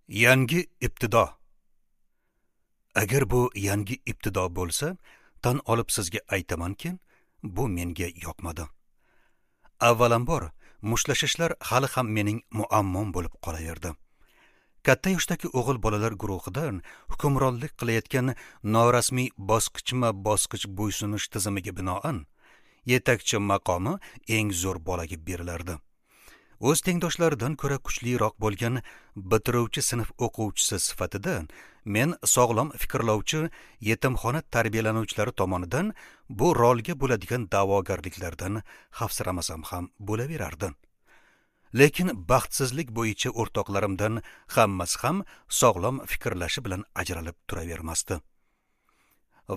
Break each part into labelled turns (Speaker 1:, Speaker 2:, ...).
Speaker 1: Yangi ibtido. Agar bu yangi ibtido bo'lsa, tan olib sizga aytamanki, bu menga yoqmadi. Avvalambor, mushlashishlar hali ham mening muammom bo'lib qolaverdi. Katta yoshdagi o'g'il bolalar guruhidan hukmronlik qilayotgan norasmiy bosqichma-bosqich bo'ysunish tizimiga binoan yetakchi maqomi eng zo'r bolaga berilardi. O'z tengdoshlaridan ko'ra kuchliroq bo'lgan bitiruvchi sinf o'quvchisi sifatida men sog'lom fikrlovchi yetimxona tarbiyalanuvchilari tomonidan bu rolga bo'ladigan da'vogarliklardan xavfsiramasam ham bo'laverardi. Lekin baxtsizlik bo'yicha o'rtoqlarimdan hammasi ham sog'lom fikrlashi bilan ajralib turavermasdi.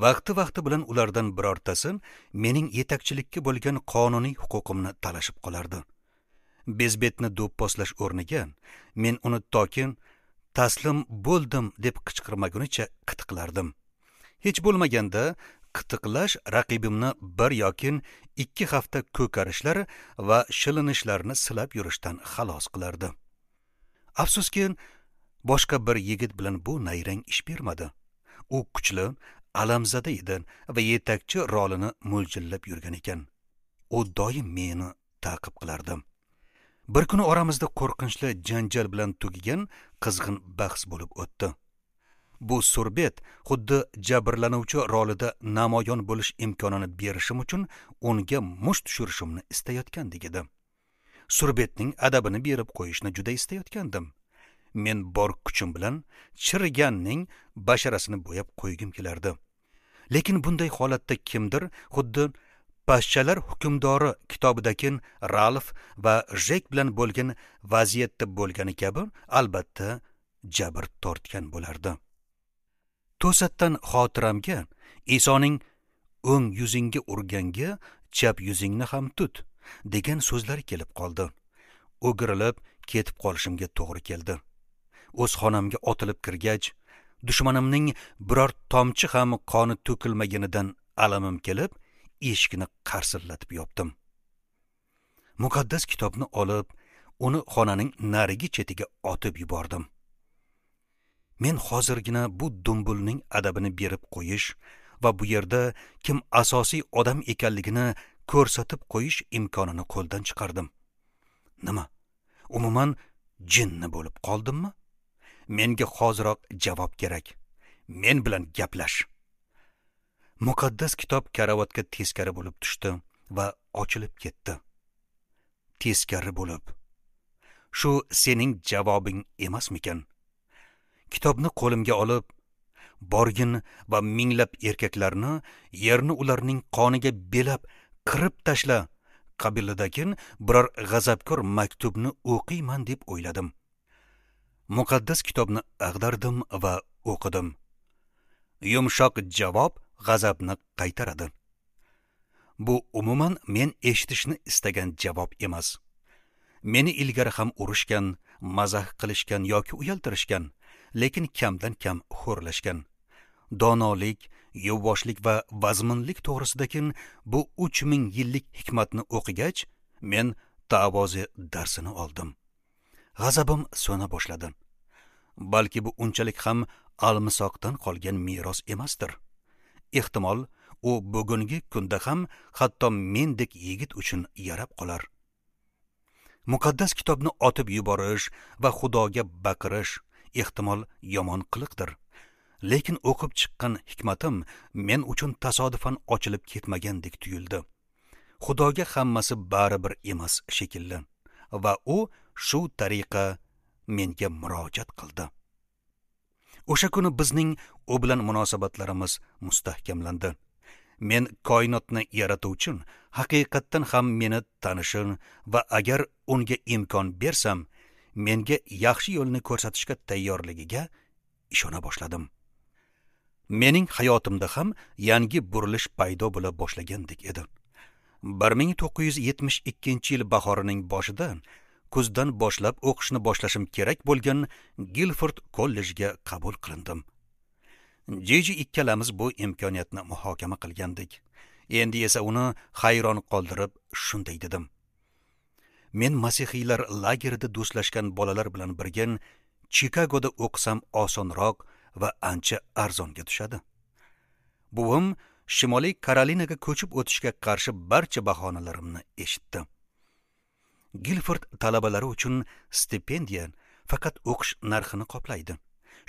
Speaker 1: Vaqti-vaqti bilan ulardan birortasi mening yetakchilikka bo'lgan qonuniy huquqimni talashib qolardi. Bezbetni do'pposlash o'rniga men uni toki taslim bo'ldim deb qichqirmagunicha qitiqlardim. Hech bo'lmaganda qitiqlash raqibimni bir yoki 2 hafta ko'karishlar va shilinishlarni silab yurishdan xalos qilardi. Afsuski, boshqa bir yigit bilan bu nayrang ish bermadi. U kuchli, alamzada edi va yetakchi rolini mo'ljallab yurgan ekan. U doim meni ta'qib qilardi. Bir kuni oramizda qo'rqinchli janjal bilan tugagan qizg'in bahs bo'lib o'tdi. Bu surbet xuddi jabrlanuvchi rolida namoyon bo'lish imkonini berishim uchun unga musht tushirishimni istayotgandek edi. Surbetning adabini berib qo'yishni juda istayotgandim. Men bor kuchim bilan chiriganning basharasini bo'yab qo'ygim kelardi. Lekin bunday holatda kimdir xuddi Pashshalar hukmdori kitobidagi Ralf va Jek bilan bo'lgan vaziyatda bo'lgani kabi albatta jabr tortgan bo'lardi. To'satdan xotiramga Isoning o'ng yuzingga urganga chap yuzingni ham tut degan so'zlar kelib qoldi. O'girilib ketib qolishimga to'g'ri keldi. O'z xonamga otilib kirgach, dushmanimning biror tomchi ham qoni to'kilmaganidan alamim kelib, eshikni qarsillatib yopdim. Muqaddas kitobni olib, uni xonaning narigi chetiga otib yubordim. Men hozirgina bu dumbulning adabini berib qo'yish va bu yerda kim asosiy odam ekanligini ko'rsatib qo'yish imkonini qo'ldan chiqardim. Nima? Umuman jinni bo'lib qoldimmi? Menga hoziroq javob kerak. Men bilan gaplash. Muqaddas kitob karavotga teskari bo'lib tushdi va ochilib ketdi. Teskari bo'lib. Shu sening javobing emasmikan? Kitobni qo'limga olib, borgin va minglab erkaklarni yerni ularning qoniga belab qirib tashla qabilidagi biror g'azabkor maktubni o'qiyman deb o'yladim. Muqaddas kitobni ag'dardim va o'qidim. Yumshoq javob g'azabni qaytaradi. Bu umuman men eshitishni istagan javob emas. Meni ilgari ham urushgan, mazax qilishgan yoki uyaltirishgan, lekin kamdan kam xo'rlashgan. Donolik, yuvvoshlik va vazminlik to'g'risidagi bu 3000 yillik hikmatni o'qigach, men tavozi darsini oldim. G'azabim so'na boshladi. Balki bu unchalik ham almisoqdan qolgan meros emasdir. Ehtimol, u bugungi kunda ham hatto mendek yigit uchun yarab qolar. Muqaddas kitobni otib yuborish va Xudoga baqirish ehtimol yomon qiliqdir. Lekin o'qib chiqqan hikmatim men uchun tasodifan ochilib ketmagandek tuyuldi. Xudoga hammasi baribir emas shekilli va u shu tariqa menga murojaat qildi. O'sha kuni bizning u bilan munosabatlarimiz mustahkamlandi. Men koinotni yaratuvchi haqiqatdan ham meni tanishin va agar unga imkon bersam, menga yaxshi yo'lni ko'rsatishga tayyorligiga ishona boshladim. Mening hayotimda ham yangi burilish paydo bo'la boshlagandek edi. 1972-yil bahorining boshida kuzdan boshlab o'qishni boshlashim kerak bo'lgan Gilford kollejiga qabul qilindim. Jiji ikkalamiz bu imkoniyatni muhokama qilgandik. Endi esa uni hayron qoldirib shunday dedim. Men masihiylar lagerida do'stlashgan bolalar bilan birga Chikagoda o'qisam osonroq va ancha arzonga tushadi. Buvim Shimoliy Karolinaga ko'chib o'tishga qarshi barcha bahonalarimni eshitdi. Gilford talabalari uchun stipendiya faqat o'qish narxini qoplaydi.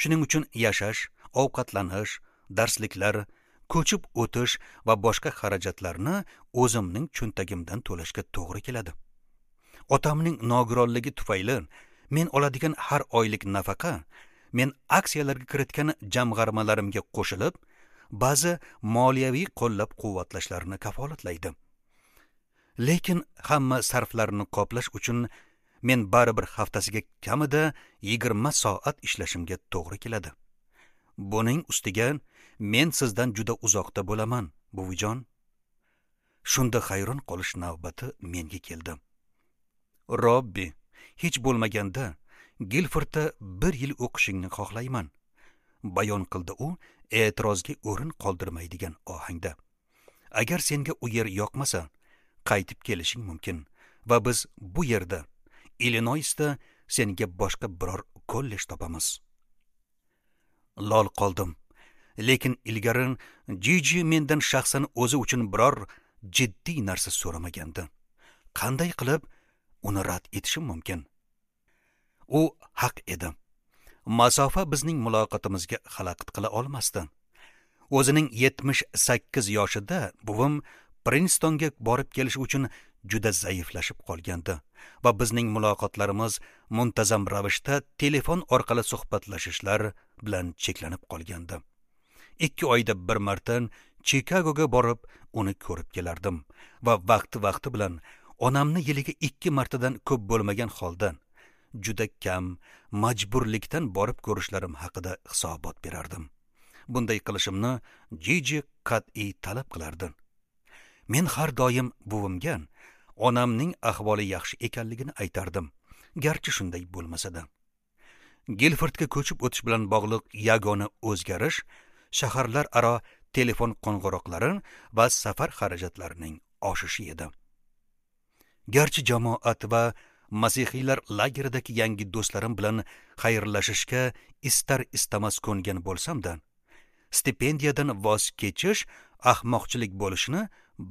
Speaker 1: Shuning uchun yashash, ovqatlanish, darsliklar, ko'chib o'tish va boshqa xarajatlarni o'zimning cho'ntagimdan to'lashga to'g'ri keladi. Otamning nogironligi tufayli men oladigan har oylik nafaqa men aksiyalarga kiritgan jamg'armalarimga qo'shilib, ba'zi moliyaviy qo'llab-quvvatlashlarni kafolatlaydi. Lekin hamma sarflarni qoplash uchun men baribir haftasiga kamida 20 soat ishlashimga to'g'ri keladi. Buning ustiga men sizdan juda uzoqda bo'laman, buvijon. Shunda hayron qolish navbati menga keldi. Robbi, hech bo'lmaganda Gilfordda 1 yil o'qishingni xohlayman, bayon qildi u e'tirozga o'rin qoldirmaydigan ohangda. Agar senga u yer yoqmasa, qaytib kelishing mumkin va biz bu yerda, Illinoisda senga boshqa biror kollej topamiz. Lol qoldim. Lekin ilgari Jiji mendan shaxsan o'zi uchun biror jiddiy narsa so'ramagandi. Qanday qilib uni rad etishim mumkin? U haq edi. Masofa bizning muloqotimizga xalaqit qila olmasdi. O'zining 78 yoshida buvim Prinstonga borib kelish uchun juda zaiflashib qolgandi va bizning muloqotlarimiz muntazam ravishda telefon orqali suhbatlashishlar bilan cheklanib qolgandi. 2 oyda bir marta Chikagoga borib uni ko'rib kelardim va vaqti-vaqti bilan onamni yiliga 2 martadan ko'p bo'lmagan holda juda kam majburlikdan borib ko'rishlarim haqida hisobot berardim. Bunday qilishimni Jiji qat'iy talab qilardi. Men har doim buvimga onamning ahvoli yaxshi ekanligini aytardim, garchi shunday bo'lmasa-da. Gilfordga ko'chib o'tish bilan bog'liq yagona o'zgarish shaharlararo telefon qo'ng'iroqlari va safar xarajatlarining oshishi edi. Garchi jamoat va masihiylar lageridagi yangi do'stlarim bilan xayrlashishga istar-istamas ko'ngan bo'lsam-da, stipendiyadan voz kechish ahmoqchilik bo'lishini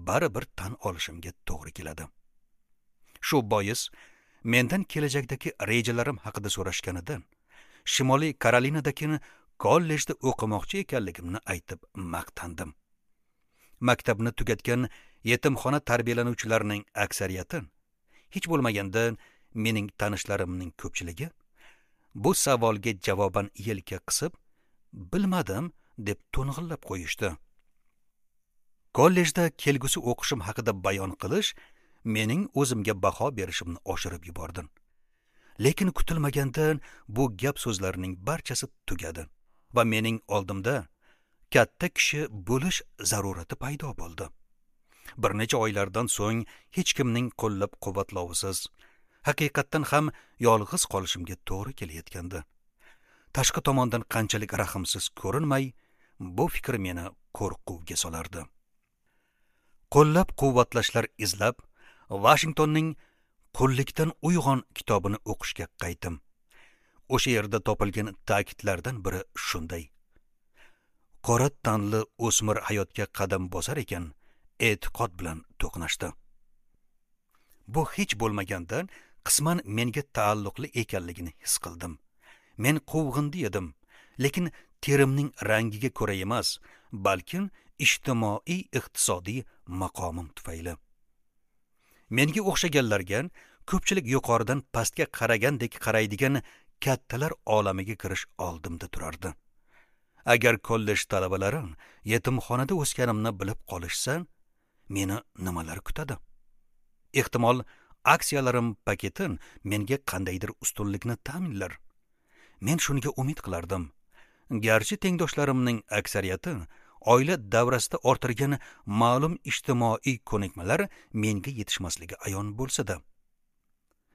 Speaker 1: baribir tan olishimga to'g'ri keladi. Shu bois mendan kelajakdagi rejalarim haqida so'rashganida Shimoliy Karolinadagi kollejda o'qimoqchi ekanligimni aytib maqtandim. Maktabni tugatgan yetimxona tarbiyalanuvchilarining aksariyati, hech bo'lmaganda mening tanishlarimning ko'pchiligi bu savolga javoban yelka qisib, bilmadim deb to'ng'illab qo'yishdi. Kollejda kelgusi o'qishim haqida bayon qilish mening o'zimga baho berishimni oshirib yubordi. Lekin kutilmaganda bu gap so'zlarning barchasi tugadi va mening oldimda katta kishi bo'lish zarurati paydo bo'ldi. Bir necha oylardan so'ng hech kimning qo'llab-quvvatlovisiz haqiqatdan ham yolg'iz qolishimga to'g'ri kelayotgandi. Tashqi tomondan qanchalik rahmsiz ko'rinmay, bu fikr meni qo'rquvga solardi. Qo'llab-quvvatlashlar izlab, Washingtonning Qullikdan uyg'on kitobini o'qishga qaytdim. O'sha yerda topilgan ta'kidlardan biri shunday: qora tanli o'smir hayotga qadam bosar ekan, e'tiqod bilan to'qnashdi. Bu hech bo'lmaganda qisman menga taalluqli ekanligini his qildim. Men quvg'indi edim, lekin terimning rangiga ko'ra emas, balkim ijtimoiy iqtisodiy maqomim tufayli. Menga o'xshaganlarga ko'pchilik yuqoridan pastga qaragandek qaraydigan kattalar olamiga kirish oldimda turardi. Agar kollej talabalari yetimxonada o'sganimni bilib qolishsa, meni nimalar kutadi? Ehtimol aksiyalarim paketi menga qandaydir ustunlikni ta'minlar. Men shunga umid qilardim. Garchi tengdoshlarimning aksariyati oila davrasida orttirgan ma'lum ijtimoiy ko'nikmalar menga yetishmasligi ayon bo'lsa-da.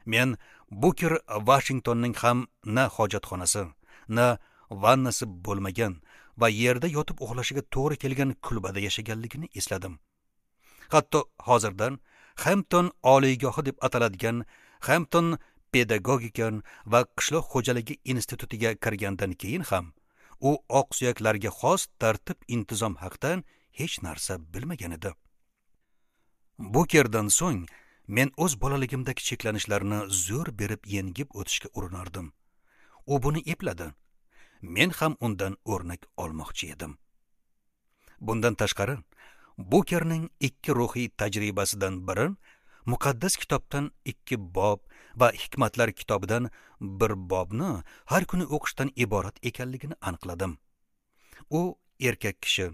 Speaker 1: Men Buker Washingtonning ham na hojatxonasi, na vannasi bo'lmagan va yerda yotib uxlashiga to'g'ri kelgan kulbada yashaganligini esladim. Hatto hozirdan Hampton oliygohi deb ataladigan Hampton Pedagogika va qishloq xo'jaligi institutiga kirgandan keyin ham u oqsuyaklarga xos tartib intizom haqida hech narsa bilmagan edi. Bukerdan so'ng men o'z bolaligimdagi cheklanishlarni zo'r berib yengib o'tishga urinardim. U buni epladi. Men ham undan o'rnak olmoqchi edim. Bundan tashqari, Bukerning 2 ruhiy tajribasidan biri muqaddas kitobdan 2 bob va hikmatlar kitobidan 1 bobni har kuni o'qishdan iborat ekanligini aniqladim. U erkak kishi,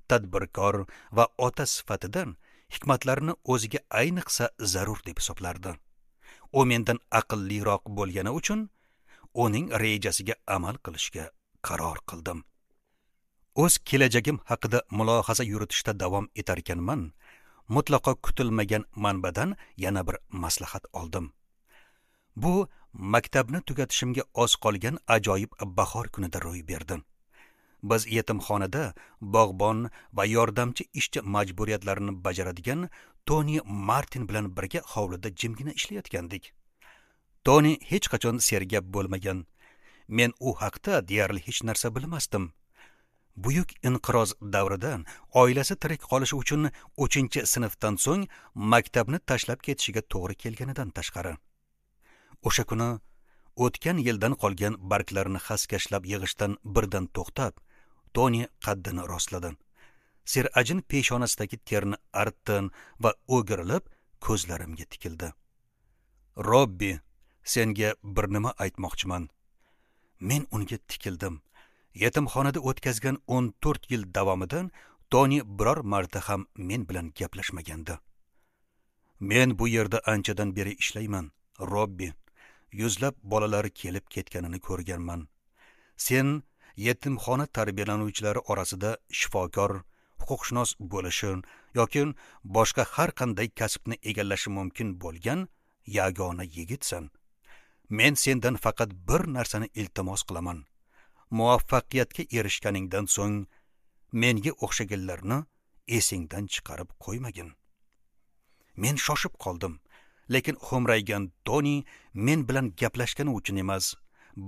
Speaker 1: tadbirkor va ota sifatidan hikmatlarni o'ziga ayniqsa zarur deb hisoblardi. U mendan aqlliroq bo'lgani uchun uning rejasiga amal qilishga qaror qildim. O'z kelajagim haqida mulohaza yuritishda davom etar ekanman, mutlaqo kutilmagan manbadan yana bir maslahat oldim. Bu maktabni tugatishimga oz qolgan ajoyib bahor kunida ro'y berdi. Biz yetimxonada bog'bon va yordamchi ishchi majburiyatlarini bajaradigan Toni Martin bilan birga hovlida jimgina ishlayotgandik. Toni hech qachon sergap bo'lmagan. Men u haqda deyarli hech narsa bilmasdim. Buyuk inqiroz davrida oilasi tirik qolishi uchun 3-sinfdan so'ng maktabni tashlab ketishiga to'g'ri kelganidan tashqari. O'sha kuni o'tgan yildan qolgan barglarni xaskashlab yig'ishdan birdan to'xtab, Toni qaddini rostladi. Serajin peshonasidagi terni artdi va o'girilib ko'zlarimga tikildi. "Robbi, senga bir nima aytmoqchiman." Men unga tikildim. Yetimxonada o'tkazgan 14 yil davomida Toni biror marta ham men bilan gaplashmagandi. "Men bu yerda anchadan beri ishlayman, Robbi. Yuzlab bolalar kelib ketganini ko'rganman. Sen yetimxona tarbiyalanuvchilari orasida shifokor, huquqshunos bo'lishi yoki boshqa har qanday kasbni egallashi mumkin bo'lgan yagona yigitsan. Men sendan faqat bir narsani iltimos qilaman. Muvaffaqiyatga erishganingdan so'ng menga o'xshaganlarni esingdan chiqarib qo'ymagin." Men shoshib qoldim, lekin xo'mraygan Toni men bilan gaplashgani uchun emas,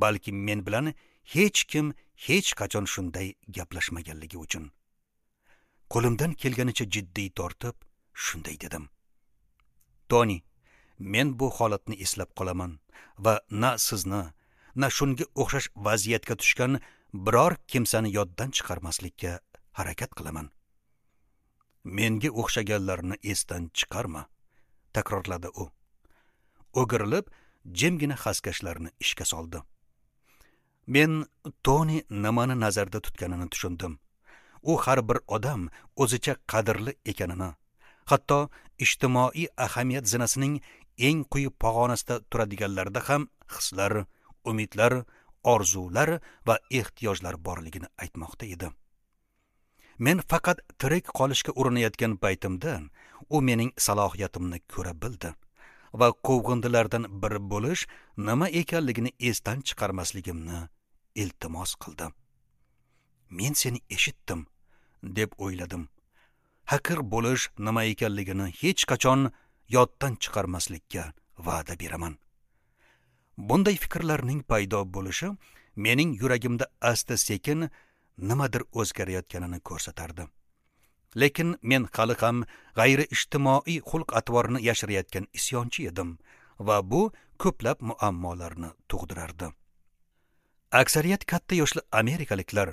Speaker 1: balki men bilan hech kim hech qachon shunday gaplashmaganligi uchun. Qo'limdan kelganicha jiddiy tortib shunday dedim: "Toni, men bu holatni eslab qolaman va na sizni, na shunga o'xshash vaziyatga tushgan biror kimsani yoddan chiqarmaslikka harakat qilaman." "Menga o'xshaganlarni esdan chiqarma", takrorladi u. O'girilib jimgina xaskashlarni ishga soldi. Men Toni nimani nazarda tutganini tushundim. U har bir odam o'zicha qadrli ekanini, hatto ijtimoiy ahamiyat zinasining eng quyi pog'onasida turadiganlarda ham hislar, umidlar, orzular va ehtiyojlar borligini aytmoqda edi. Men faqat tirik qolishga urinayotgan paytimda u mening salohiyatimni ko'ra bildi va quvg'indilardan biri bo'lish nima ekanligini esdan chiqarmasligimni iltimos qildi. Men seni eshitdim, deb o'yladim. Haqir bo'lish nima ekanligini hech qachon yoddan chiqarmaslikka va'da beraman. Bunday fikrlarning paydo bo'lishi mening yuragimda asta-sekin nimadir o'zgarayotganini ko'rsatardi. Lekin men hali ham g'ayri ijtimoiy xulq-atvorni yashirayotgan isyonchi edim va bu ko'plab muammolarni tug'dirardi. Aksariyat katta yoshli amerikaliklar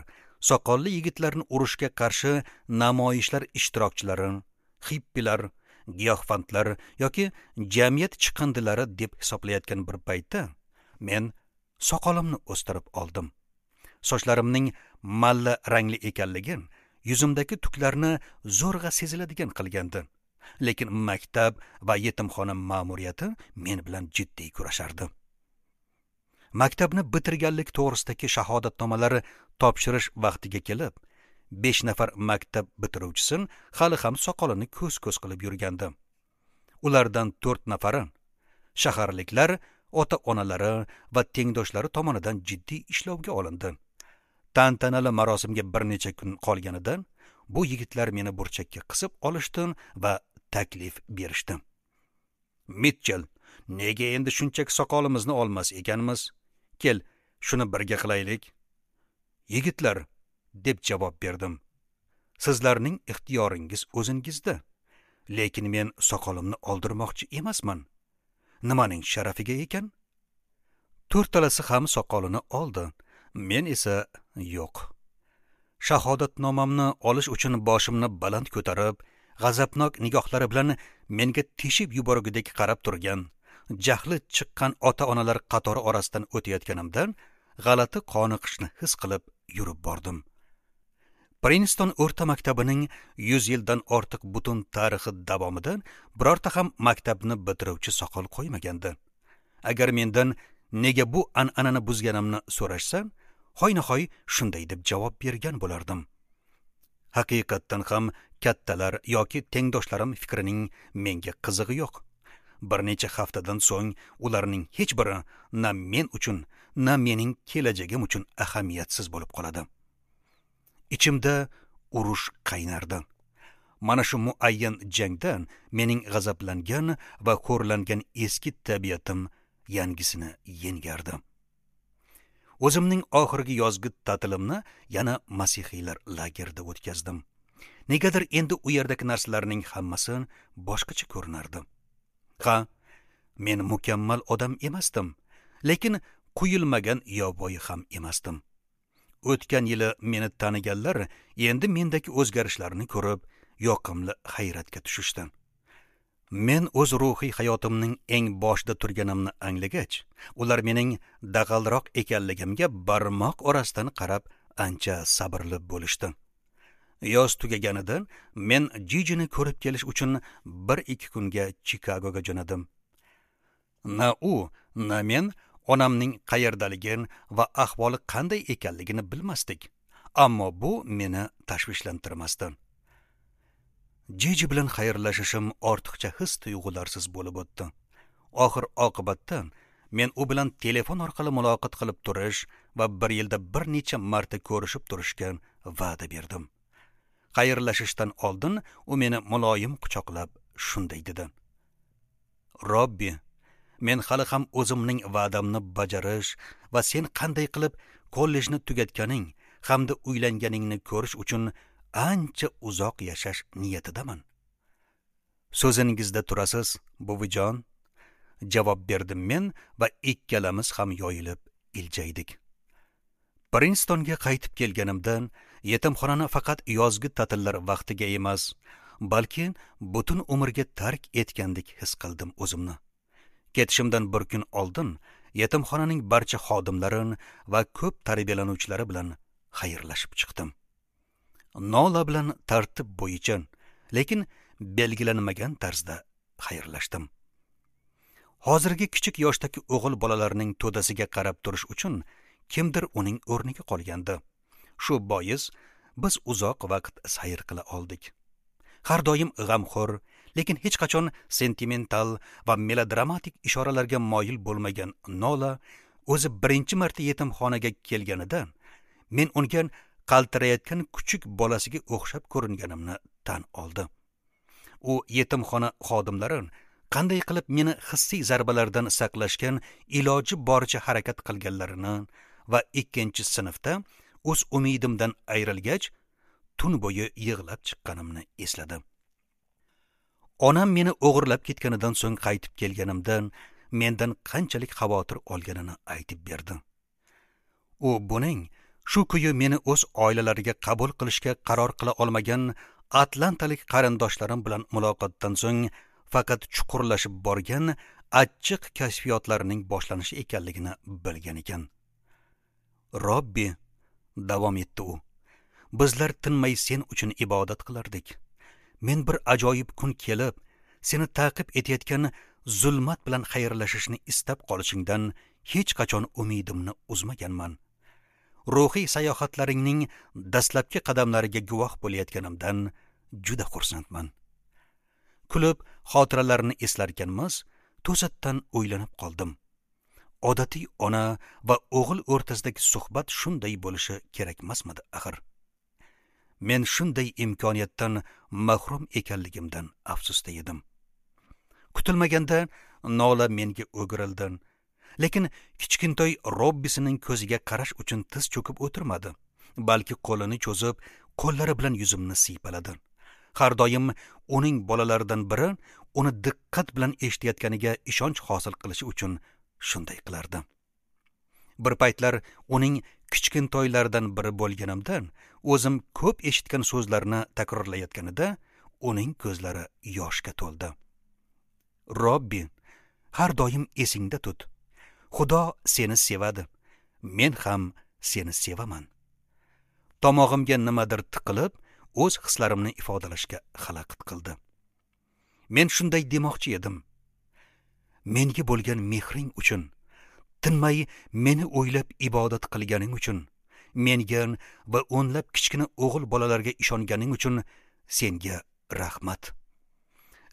Speaker 1: soqolli yigitlarni urushga qarshi namoyishlar ishtirokchilari, xippilar, giyohvandlar yoki jamiyat chiqindilari deb hisoblayotgan bir paytda men soqolimni o'stirib oldim. Sochlarimning malla rangli ekanligi yuzimdagi tuklarni zo'rg'a seziladigan qilgandi. Lekin maktab va yetimxona ma'muriyati men bilan jiddiy kurashardi. Maktabni bitirganlik to'g'risidagi shahodatnomalari topshirish vaqtiga kelib, 5 nafar maktab bitiruvchisi hali ham soqolini ko'z-ko'z qilib yurgandi. Ulardan 4 nafari shaharliklar ota-onalari va tengdoshlari tomonidan jiddiy ishlovga olindi. Tantanali marosimga bir necha kun qolganida bu yigitlar meni burchakka qisib olishdi va taklif berishdi. Mitchell, Nega endi shunchaki soqolimizni olmas ekanmiz? Kel, shuni birga qilaylik. Yigitlar, deb javob berdim. Sizlarning ixtiyoringiz o'zingizda. Lekin men soqolimni oldirmoqchi emasman. Nimaning sharafiga ekan? To'rttalasi ham soqolini oldi. Men esa yo'q. Shahodatnomamni olish uchun boshimni baland ko'tarib, g'azabnok nigohlari bilan menga teshib yuborgudek qarab turgan, jahli chiqqan ota-onalar qatori orasidan o'tayotganimdan g'alati qoniqishni his qilib yurib bordim. Prinston o'rta maktabining 100 yildan ortiq butun tarixi davomida birorta ham maktabni bitiruvchi soqol qo'ymagandi. Agar mendan nega bu an'anani buzganimni so'rashsa, hoynahoy shunday deb javob bergan bo'lardim. Haqiqatdan ham kattalar yoki tengdoshlarim fikrining menga qizig'i yo'q. Bir necha haftadan so'ng ularning hech biri na men uchun, na mening kelajagim uchun ahamiyatsiz bo'lib qoladi. Ichimda urush qaynardi. Mana shu muayyan jangda mening g'azablangan va xo'rlangan eski tabiatim yangisini yengardi. O'zimning oxirgi yozgi ta'tilimni yana masihiylar lagerida o'tkazdim. Negadir endi u yerdagi narsalarning hammasi boshqacha ko'rinardi. Ha, men mukammal odam emasdim, lekin quyilmagan yovvoyi ham emasdim. O'tgan yili meni taniganlar endi mendagi o'zgarishlarni ko'rib, yoqimli hayratga tushishdi. Men o'z ruhiy hayotimning eng boshida turganimni anglagach, ular mening dag'alroq ekanligimga barmoq orasidan qarab ancha sabrli bo'lishdi. Yoz tugaganida men Jijini ko'rib kelish uchun 1-2 kunga Chikagoga jo'nadim. Na u, na men onamning qayerdaligini va ahvoli qanday ekanligini bilmasdik. Ammo bu meni tashvishlantirmasdi. Jiji bilan xayrlashishim ortiqcha his tuyg'ularsiz bo'lib o'tdi. Oxir oqibatda men u bilan telefon orqali muloqot qilib turish va bir yilda bir necha marta ko'rishib turishga va'da berdim. Xayrlashishdan oldin u meni muloyim quchoqlab shunday dedi: "Robbi, men hali ham o'zimning va'damni bajarish va sen qanday qilib kollejni tugatganing hamda uylanganingni ko'rish uchun ancha uzoq yashash niyatidaman." "So'zingizda turasiz, buvijon," javob berdim men va ikkalamiz ham yoyilib iljaydik. Prinstonga qaytib kelganimdan yetimxonani faqat yozgi ta'tillar vaqtiga emas, balki butun umrga tark etgandek his qildim o'zimni. Ketishimdan bir kun oldin yetimxonaning barcha xodimlari va ko'p tarbiyalanuvchilari bilan xayrlashib chiqdim. Nola bilan tartib bo'yicha, lekin belgilanmagan tarzda xayrlashdim. Hozirgi kichik yoshdagi o'g'il bolalarning to'dasiga qarab turish uchun kimdir uning o'rniga qolgandi. Shu bois biz uzoq vaqt sayr qila oldik. Har doim g'amxo'r, lekin hech qachon sentimental va melodramatik ishoralarga moyil bo'lmagan Nola o'zi birinchi marta yetimxonaga kelganida men unga qaltirayotgan kuchuk bolasiga o'xshab ko'ringanimni tan oldi. U yetimxona xodimlari qanday qilib meni hissiy zarbalardan saqlashgan iloji boricha harakat qilganlarini va ikkinchi sinfda o'z umidimdan ayrilgach tun bo'yi yig'lab chiqqanimni esladi. Onam meni o'g'irlab ketganidan so'ng qaytib kelganimdan mendan qanchalik xavotir olganini aytib berdi. U buning shu kuyi meni o'z oilalariga qabul qilishga qaror qila olmagan atlantalik qarindoshlarim bilan muloqotdan so'ng faqat chuqurlashib borgan achchiq kashfiyotlarining boshlanishi ekanligini bilgan ekan. "Robbi," davom etdi u, "bizlar tinmay sen uchun ibodat qilardik. Men bir ajoyib kun kelib, seni ta'qib etayotgan zulmat bilan xayrlashishni istab qolishingdan hech qachon umidimni uzmaganman. Ruhiy sayohatlaringning dastlabki qadamlariga guvoh bo'layotganimdan juda xursandman." Kulib xotiralarni eslarkanmiz, to'satdan o'ylanib qoldim. Odatiy ona va o'g'il o'rtasidagi suhbat shunday bo'lishi kerakmasmidi axir? Men shunday imkoniyatdan mahrum ekanligimdan afsusda edim. Kutilmaganda Nola menga o'girildi. Lekin kichkintoy Robbisining ko'ziga qarash uchun tiz cho'kib o'tirmadi, balki qo'lini cho'zib, qo'llari bilan yuzimni siypaladi. Har doim uning bolalaridan biri uni diqqat bilan eshitayotganiga ishonch hosil qilishi uchun shunday qilardi. Bir paytlar uning kichkintoylaridan biri bo'lganimdan o'zim ko'p eshitgan so'zlarni takrorlayotganida uning ko'zlari yoshga to'ldi. Robbi, har doim esingda tut. Xudo seni sevadi. Men ham seni sevaman. Tomog'imga nimadir tiqilib, o'z hislarimni ifodalashga xalaqit qildi. Men shunday demoqchi edim. Menga bo'lgan mehring uchun, tinmay meni o'ylab ibodat qilganing uchun, menga va o'nlab kichkina o'g'il bolalarga ishonganing uchun senga rahmat.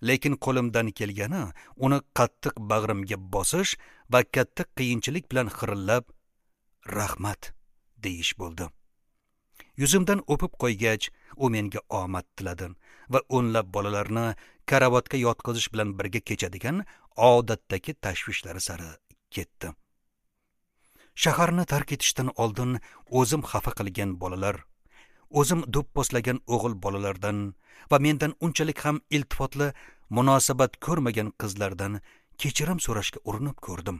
Speaker 1: Lekin qo'limdan kelgani uni qattiq bag'rimga bosish va katta qiyinchilik bilan xirillab rahmat deyish bo'ldi. Yuzimdan o'pib qo'ygach, u menga omad tiladi va o'nlab bolalarni karavotga yotqizish bilan birga kechadigan odatdagi tashvishlari sari ketdi. Shaharni tark etishdan oldin o'zim xafa qilgan bolalar, o'zim do'pposlagan o'g'il bolalardan va mendan unchalik ham iltifotli munosabat ko'rmagan qizlardan kechirim so'rashga urinib ko'rdim.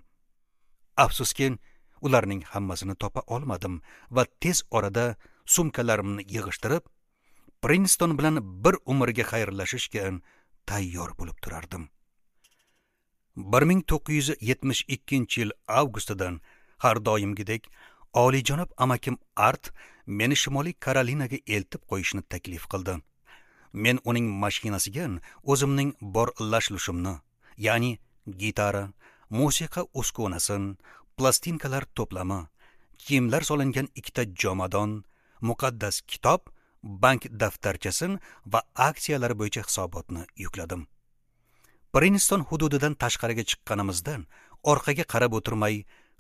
Speaker 1: Afsuski, ularning hammasini topa olmadim va tez orada sumkalarimni yig'ishtirib, Prinston bilan bir umrga xayrlashishga tayyor bo'lib turardim. 1972-yil avgustidan har doimgidek oliyjanob amakim Art meni Shimoliy Karolinaga eltib qo'yishni taklif qildi. Men uning mashinasiga o'zimning bor lash-lushimni, ya'ni gitara, musiqa uskunasi, plastinkalar to'plami, kiyimlar solingan ikkita jomadon, muqaddas kitob, bank daftarchasi va aksiyalar bo'yicha hisobotni yukladim. Prinston hududidan tashqariga chiqqanimizdan orqaga qarab o'tirmay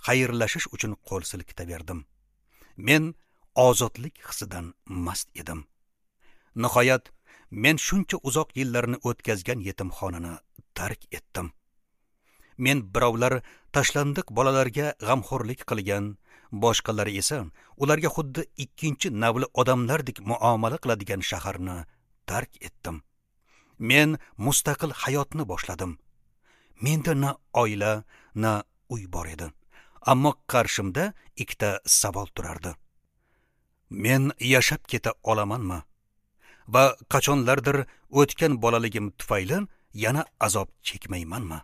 Speaker 1: xayrlashish uchun qo'l silkitaverdim. Men ozodlik hissidan mast edim. Nihoyat men shuncha uzoq yillarni o'tkazgan yetimxonani tark etdim. Men birovlar tashlandiq bolalarga g'amxo'rlik qilgan, boshqalari esa ularga xuddi ikkinchi navli odamlardek muomala qiladigan shaharni tark etdim. Men mustaqil hayotni boshladim. Menda na oila, na uy bor edi. Ammo qarshimda ikkita savol turardi. Men yashab keta olamanmi? Va qachonlardir o'tgan bolaligim tufayli yana azob chekmaymanmi?